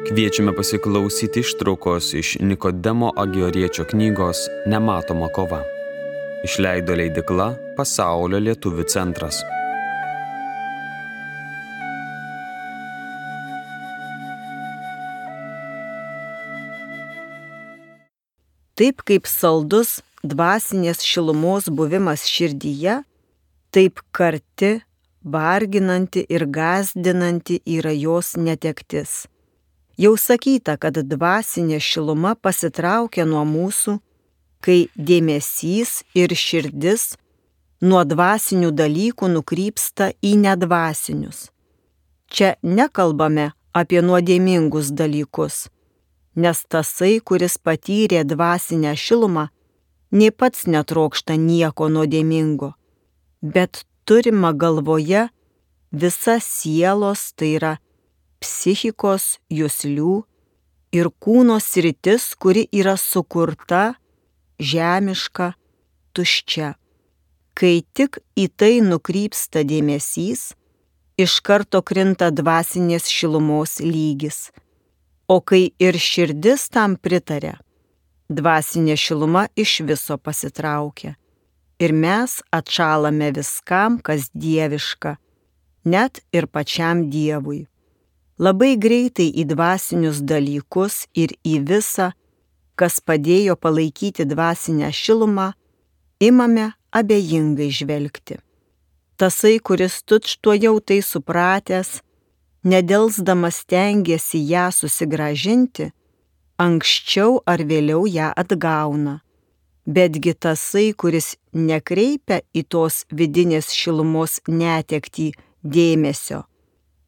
Kviečiame pasiklausyti ištraukos iš Nikodemo Agioriečio knygos Nematoma kova. Išleido leidykla Pasaulio lietuvių centras. Taip kaip saldus dvasinės šilumos buvimas širdyje, taip karti, varginanti ir gąsdinanti yra jos netektis. Jau sakyta, kad dvasinė šiluma pasitraukia nuo mūsų, kai dėmesys ir širdis nuo dvasinių dalykų nukrypsta į nedvasinius. Čia nekalbame apie nuodėmingus dalykus, nes tasai, kuris patyrė dvasinę šilumą, nė pats netrokšta nieko nuodėmingo, bet turima galvoje visa sielos, tai yra psichikos, juslių ir kūno sritis, kuri yra sukurta, žemiška, tuščia. Kai tik į tai nukrypsta dėmesys, iš karto krinta dvasinės šilumos lygis. O kai ir širdis tam pritaria, dvasinė šiluma iš viso pasitraukia. Ir mes atšalame viskam, kas dieviška, net ir pačiam Dievui. Labai greitai į dvasinius dalykus ir į visą, kas padėjo palaikyti dvasinę šilumą, imame abejingai žvelgti. Tasai, kuris tučtuojau tai supratęs, nedelsdamas stengiasi ją susigrąžinti, anksčiau ar vėliau ją atgauna. Betgi tasai, kuris nekreipia į tos vidinės šilumos netektį dėmesio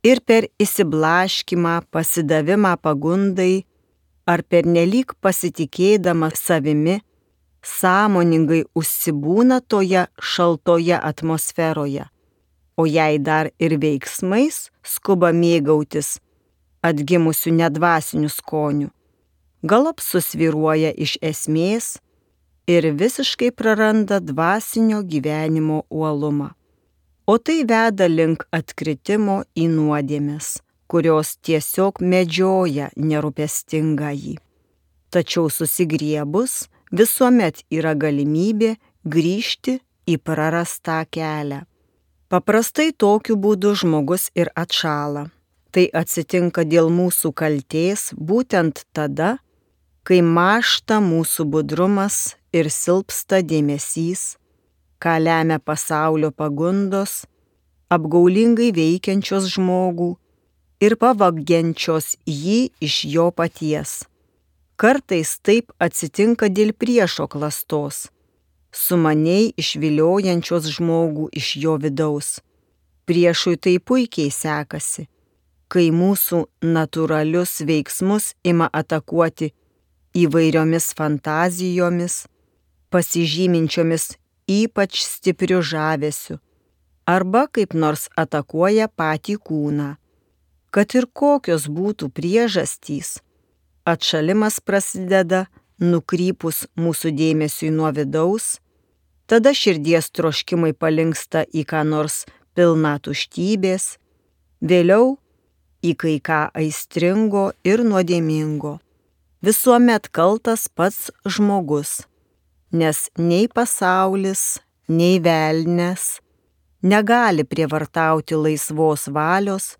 ir per įsiblaškimą, pasidavimą pagundai ar pernelyg pasitikėdama savimi, sąmoningai užsibūna toje šaltoje atmosferoje, o jei dar ir veiksmais skuba mėgautis atgimusių nedvasinių skonių, galop susvyruoja iš esmės ir visiškai praranda dvasinio gyvenimo uolumą. O tai veda link atkritimo į nuodėmes, kurios tiesiog medžioja nerūpestingąjį. Tačiau susigriebus visuomet yra galimybė grįžti į prarastą kelią. Paprastai tokiu būdu žmogus ir atšąla. Tai atsitinka dėl mūsų kaltės būtent tada, kai mąžta mūsų budrumas ir silpsta dėmesys, ką lemia pasaulio pagundos, apgaulingai veikiančios žmogų ir pavagiančios jį iš jo paties. Kartais taip atsitinka dėl priešo klastos, sumaniai išviliojančios žmogų iš jo vidaus. Priešui tai puikiai sekasi, kai mūsų natūralius veiksmus ima atakuoti įvairiomis fantazijomis, pasižyminčiomis ypač stipriu žavesiu, arba kaip nors atakuoja patį kūną. Kad ir kokios būtų priežastys, atšalimas prasideda nukrypus mūsų dėmesiui nuo vidaus, tada širdies troškimai palinksta į ką nors pilną tuštybės, vėliau į kai ką aistringo ir nuodėmingo. Visuomet kaltas pats žmogus, nes nei pasaulis, nei velnias negali prievartauti laisvos valios,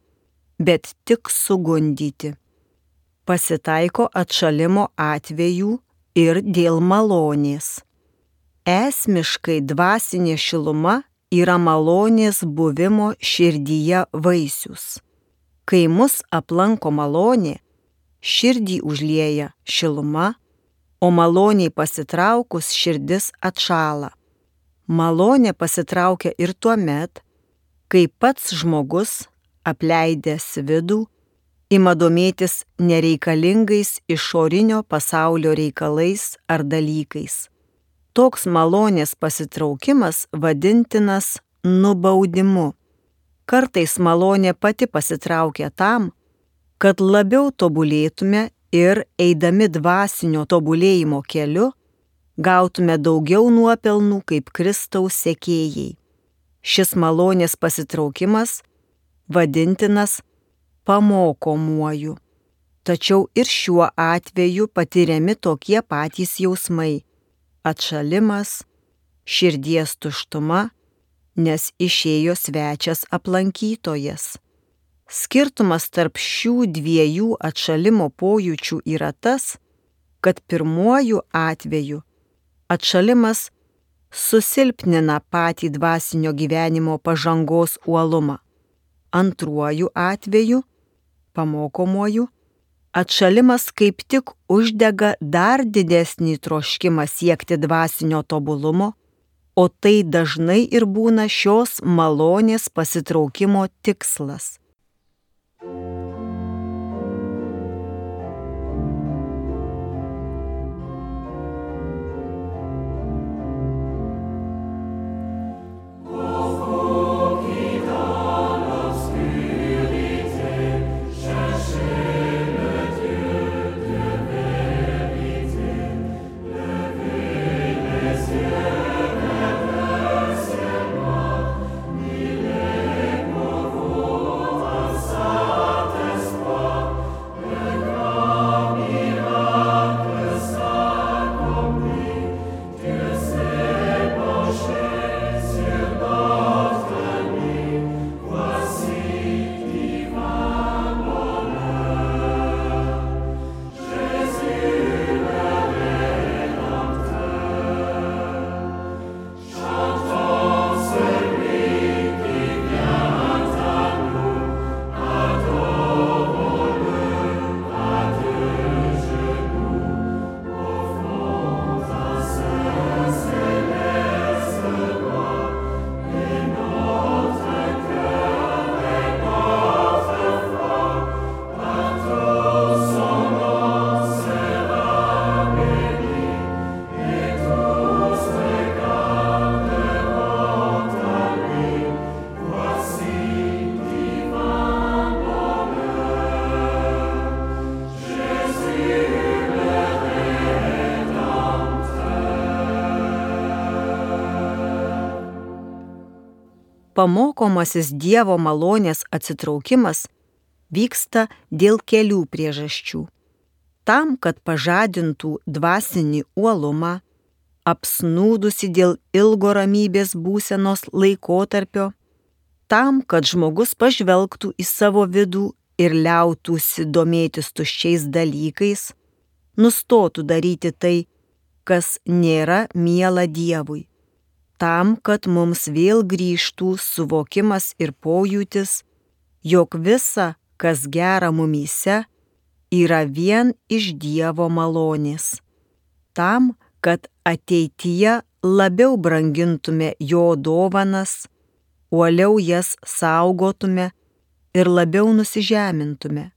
bet tik sugundyti. Pasitaiko atšalimo atvejų ir dėl malonės. Esmiškai dvasinė šiluma yra malonės buvimo širdyje vaisius. Kai mus aplanko malonė, širdį užlieja šiluma, o maloniai pasitraukus širdis atšąla. Malonė pasitraukia ir tuomet, kai pats žmogus, apleidęs vidų, ima domėtis nereikalingais išorinio pasaulio reikalais ar dalykais. Toks malonės pasitraukimas vadintinas nubaudimu. Kartais malonė pati pasitraukia tam, kad labiau tobulėtume ir eidami dvasinio tobulėjimo keliu, gautume daugiau nuopelnų kaip Kristaus sekėjai. Šis malonės pasitraukimas vadintinas pamokomuoju. Tačiau ir šiuo atveju patiriami tokie patys jausmai – atšalimas, širdies tuštuma, nes išėjo svečias aplankytojas. Skirtumas tarp šių dviejų atšalimo pojūčių yra tas, kad pirmuoju atveju atšalimas susilpnina patį dvasinio gyvenimo pažangos uolumą. Antruoju atveju, pamokomuoju, atšalimas kaip tik uždega dar didesnį troškimą siekti dvasinio tobulumo, o tai dažnai ir būna šios malonės pasitraukimo tikslas. Pamokomasis Dievo malonės atsitraukimas vyksta dėl kelių priežasčių. Tam, kad pažadintų dvasinį uolumą, apsnūdusi dėl ilgo ramybės būsenos laikotarpio, tam, kad žmogus pažvelgtų į savo vidų ir liautųsi domėtis tuščiais dalykais, nustotų daryti tai, kas nėra miela Dievui. Tam, kad mums vėl grįžtų suvokimas ir pojūtis, jog visa, kas gera mumyse, yra vien iš Dievo malonės. Tam, kad ateityje labiau brangintume jo dovanas, uoliau jas saugotume ir labiau nusižemintume.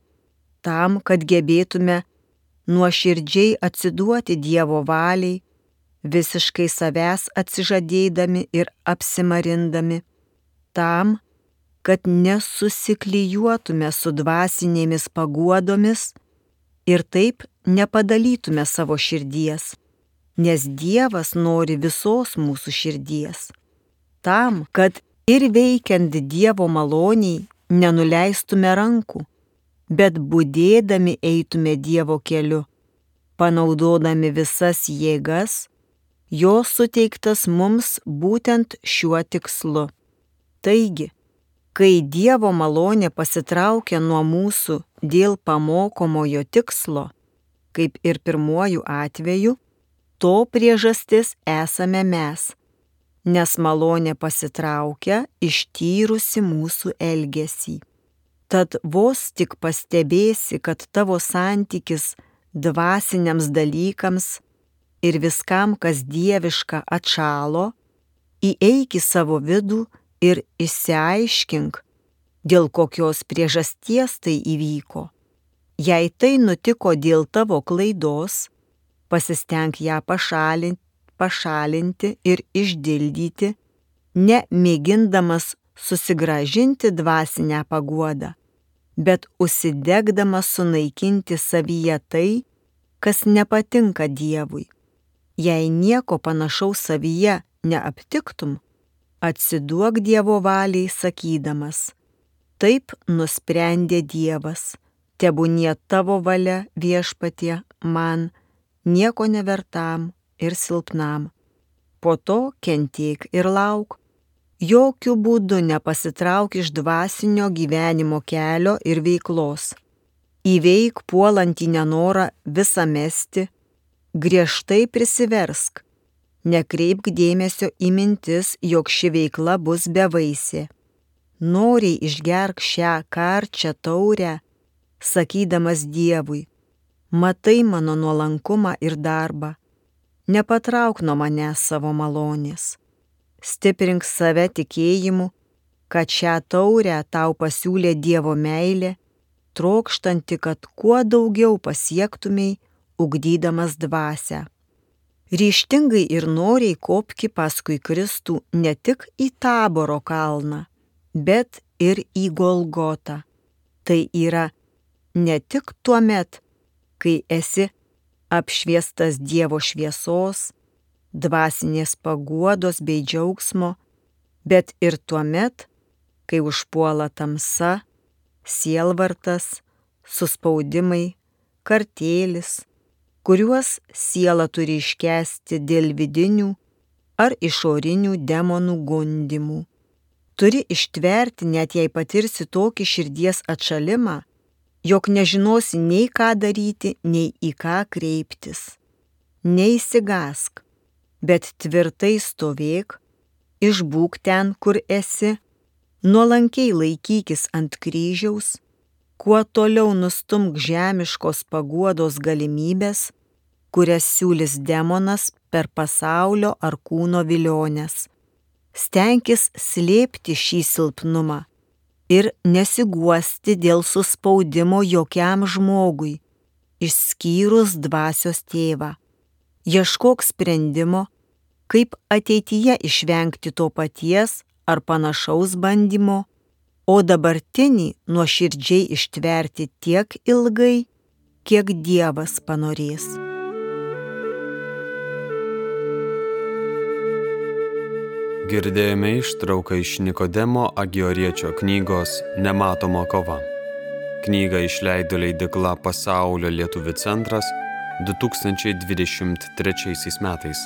Tam, kad gebėtume nuoširdžiai atsiduoti Dievo valiai, visiškai savęs atsižadėdami ir apsimarindami, tam, kad nesusiklijuotume su dvasinėmis paguodomis ir taip nepadalytume savo širdies, nes Dievas nori visos mūsų širdies. Tam, kad ir veikiant Dievo maloniai nenuleistume rankų, bet budėdami eitume Dievo keliu, panaudodami visas jėgas, jo suteiktas mums būtent šiuo tikslu. Taigi, kai Dievo malonė pasitraukia nuo mūsų dėl pamokomojo tikslo, kaip ir pirmuoju atveju, to priežastis esame mes, nes malonė pasitraukia ištyrusi mūsų elgesį. Tad vos tik pastebėsi, kad tavo santykis dvasiniams dalykams ir viskam, kas dieviška, atšalo, įeik į savo vidų ir išsiaiškink, dėl kokios priežasties tai įvyko. Jei tai nutiko dėl tavo klaidos, pasistenk ją pašalinti ir išdildyti, ne mėgindamas susigrąžinti dvasinę paguodą, bet užsidegdamas sunaikinti savyje tai, kas nepatinka Dievui. Jei nieko panašaus savyje neaptiktum, atsiduok Dievo valiai sakydamas: taip nusprendė Dievas, tebūnie tavo valia, Viešpatie, man, nieko nevertam ir silpnam. Po to kentėk ir lauk. Jokių būdų nepasitrauk iš dvasinio gyvenimo kelio ir veiklos. Įveik puolantį nenorą visą mesti, griežtai prisiversk. Nekreipk dėmesio į mintis, jog ši veikla bus bevaisė. Noriai išgerk šią karčią taurę, sakydamas Dievui, matai mano nuolankumą ir darbą, nepatrauk nuo manęs savo malonės. Stiprink save tikėjimu, kad šią taurę tau pasiūlė Dievo meilė, trokštanti, kad kuo daugiau pasiektumei, ugdydamas dvasią. Ryžtingai ir noriai kopki paskui Kristų ne tik į Taboro kalną, bet ir į Golgotą. Tai yra ne tik tuomet, kai esi apšviestas Dievo šviesos, dvasinės paguodos bei džiaugsmo, bet ir tuomet, kai užpuola tamsa, sielvartas, suspaudimai, kartėlis, kuriuos siela turi iškęsti dėl vidinių ar išorinių demonų gundymų. Turi ištverti, net jei patirsi tokį širdies atšalimą, jog nežinosi nei ką daryti, nei į ką kreiptis. Neišsigąsk, bet tvirtai stovėk, išbūk ten, kur esi, nuolankiai laikykis ant kryžiaus, kuo toliau nustumk žemiškos paguodos galimybės, kurias siūlys demonas per pasaulio ar kūno viliones. Stenkis slėpti šį silpnumą ir nesiguosti dėl suspaudimo jokiam žmogui, išskyrus dvasios tėvą. Ieškok sprendimo, kaip ateityje išvengti to paties ar panašaus bandymo, o dabartinį nuoširdžiai ištverti tiek ilgai, kiek Dievas panorės. Girdėjome ištrauką iš Nikodemo Agioriečio knygos Nematoma kova. Knygą išleido leidykla Pasaulio lietuvių centras 2023 metais.